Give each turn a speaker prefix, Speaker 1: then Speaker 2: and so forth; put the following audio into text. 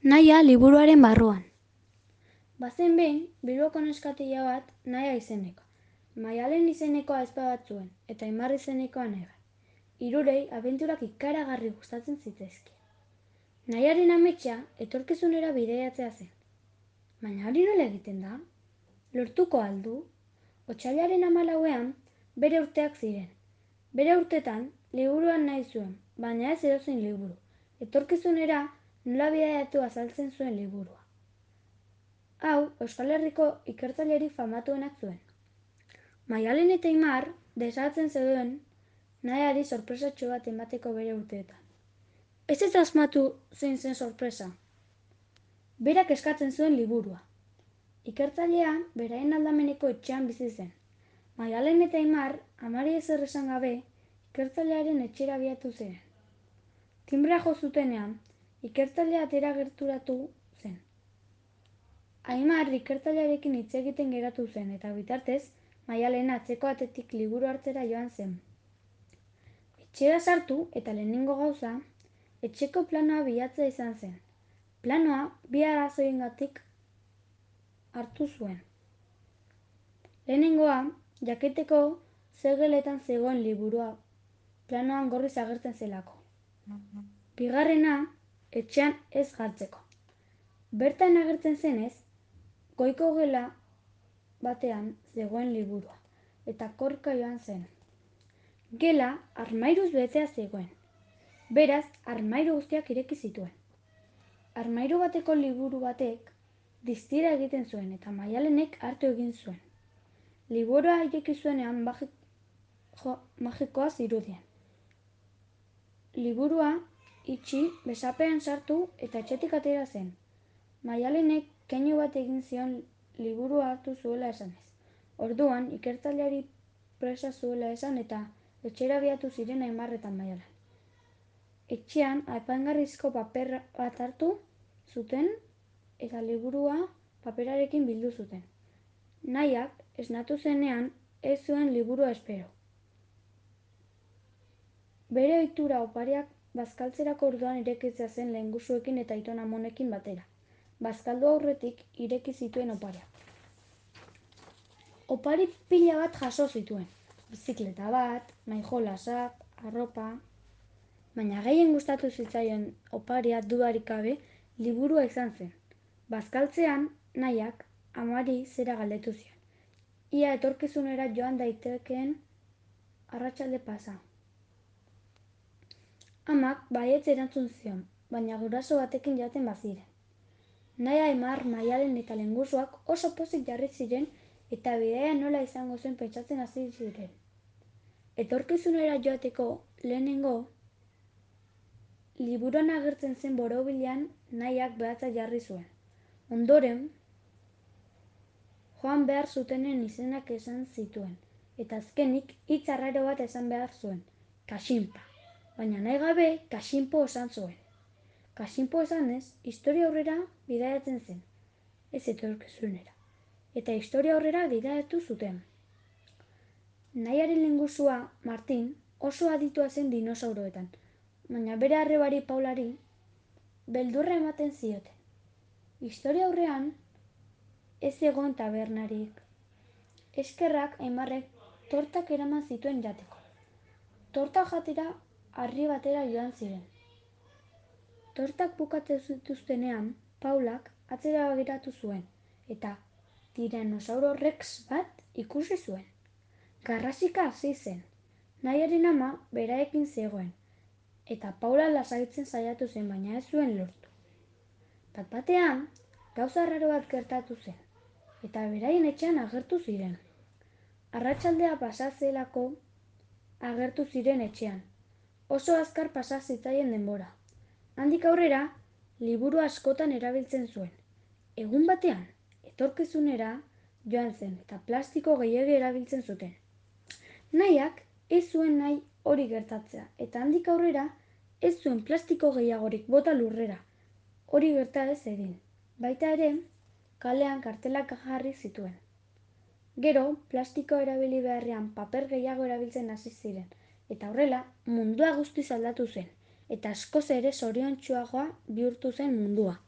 Speaker 1: Nahia liburuaren barruan. Bazen behin, Bilboko neskatila bat Nahia izeneko. Maialen izeneko ahizpa bat zuen, eta Aimar izenekoa neba. Hirurei abenturak ikaragarri gustatzen zitzaizkien. Nahiaren ametsa etorkizunera bidaiatzea zen. Baina hori nola egiten da? Lortuko aldu? Otsailaren 14ean bere urteak ziren. Bere urtetan liburuan nahi zuen, baina ez edozein liburu. Etorkizunera nola bidaiatu azaltzen zuen liburua. Hau, Euskal Herriko ikertzailerik famatuenak zuen. Maialen eta Aimar desagertzen zeuden Nahiari sorpresatxo bat emateko bere urteetan. Ez asmatu zein zen sorpresa. Berak eskatzen zuen liburua. Ikertzailea beraien aldameneko etxean bizi zen. Maialen eta Aimar amari ezer esan gabe ikertzailearen etxera abiatu ziren. Timbrea jo zutenean, ikertzailea atera gerturatu zen. Aimar ikertzailearekin hitz egiten geratu zen eta bitartez Maialen atzeko atetik liburu hartzera joan zen. Etxera sartu eta lehenengo gauza, etxeko planoa bilatzea izan zen. Planoa bi arrazoiengatik hartu zuen. Lehenengoa, jakiteko zer geletan zegoen liburua, planoan gorriz agertzen zelako. Bigarrena, etxean ez jartzeko. Bertan agertzen zenez, goiko gela batean zegoen liburua, eta korka joan zen. Gela armairuz betea zegoen. Beraz, armairu guztiak ireki zituen. Armairu bateko liburu batek distira egiten zuen eta Maialenek hartu egin zuen. Liburua ireki zuenean magikoa zirudien. Liburua itxi, besapean sartu eta etxetik atera zen. Maialenek keinu bat egin zion liburua hartu zuela esanez. Orduan, ikertzaileari presa zuela esan eta etxera abiatu ziren Aimar eta Maialen. Etxean apaingarrizko paper bat hartu zuten eta liburua paperarekin bildu zuten. Nahiak esnatu zenean ez zuen liburua espero. Bere ohitura opariak bazkaltzerako orduan irekitzea zen lehengusuekin eta aiton amonekin batera. Bazkaldu aurretik ireki zituen opariak. Opari pila bat jaso zituen. Bizikleta bat, maijolasak, arropa. Baina gehien gustatu zitzaion oparia dudarik gabe liburua izan zen. Bazkaltzean, Nahiak amari zera galdetu zion. Ia etorkizunera joan daitekeen arratsalde pasa. Amak baietz erantzun zion, baina guraso batekin jaten baziren. Nahia, Aimar, Maialen eta lehengusuak oso pozik jarri ziren eta bidaia nola izango zen pentsatzen hasi ziren. Etorkizunera joateko lehenengo liburuan agertzen zen borobilean Nahiak behatza jarri zuen. Ondoren, joan behar zutenen izenak esan zituen, eta azkenik hitz arraro bat esan behar zuen, kaxinpa. Baina nahi gabe kaxinpo esan zuen. Kaxinpo esanez, historia aurrera bidaiatzen zen, ez etorkizunera. Eta historia aurrera bidaiatu zuten. Nahiaren lehengusua, Martin, oso aditua zen dinosauroetan, baina bere arrebari Paulari beldurra ematen zioten. Historia aurrean ez zegoen tabernarik. Eskerrak Aimarrek tortak eraman zituen jateko. Torta jatera harri batera joan ziren. Tortak bukatzen zituztenean, Paulak atzera begiratu zuen, eta Tiranosauro Rex bat ikusi zuen. Garrasika hasi zen. Nahiaren ama beraekin zegoen, eta Paula lasaitzen saiatu zen, baina ez zuen lortu. Bat-batean, gauza arraro bat gertatu zen, eta beraien etxean agertu ziren. Arratsaldea pasa zelako agertu ziren etxean. Oso azkar pasa zitzaien denbora. Handik aurrera, liburu askotan erabiltzen zuen. Egun batean, etorkizunera joan zen eta plastiko gehiegi erabiltzen zuten. Nahiak ez zuen nahi hori gertatzea, eta handik aurrera ez zuen plastiko gehiagorik bota lurrera. Hori gerta ez egin. Baita ere, kalean kartelak jarri zituen. Gero, plastikoa erabili beharrean paper gehiago erabiltzen hasi ziren, eta horrela mundua guztiz aldatu zen, eta askoz ere zoriontsuagoa bihurtu zen mundua.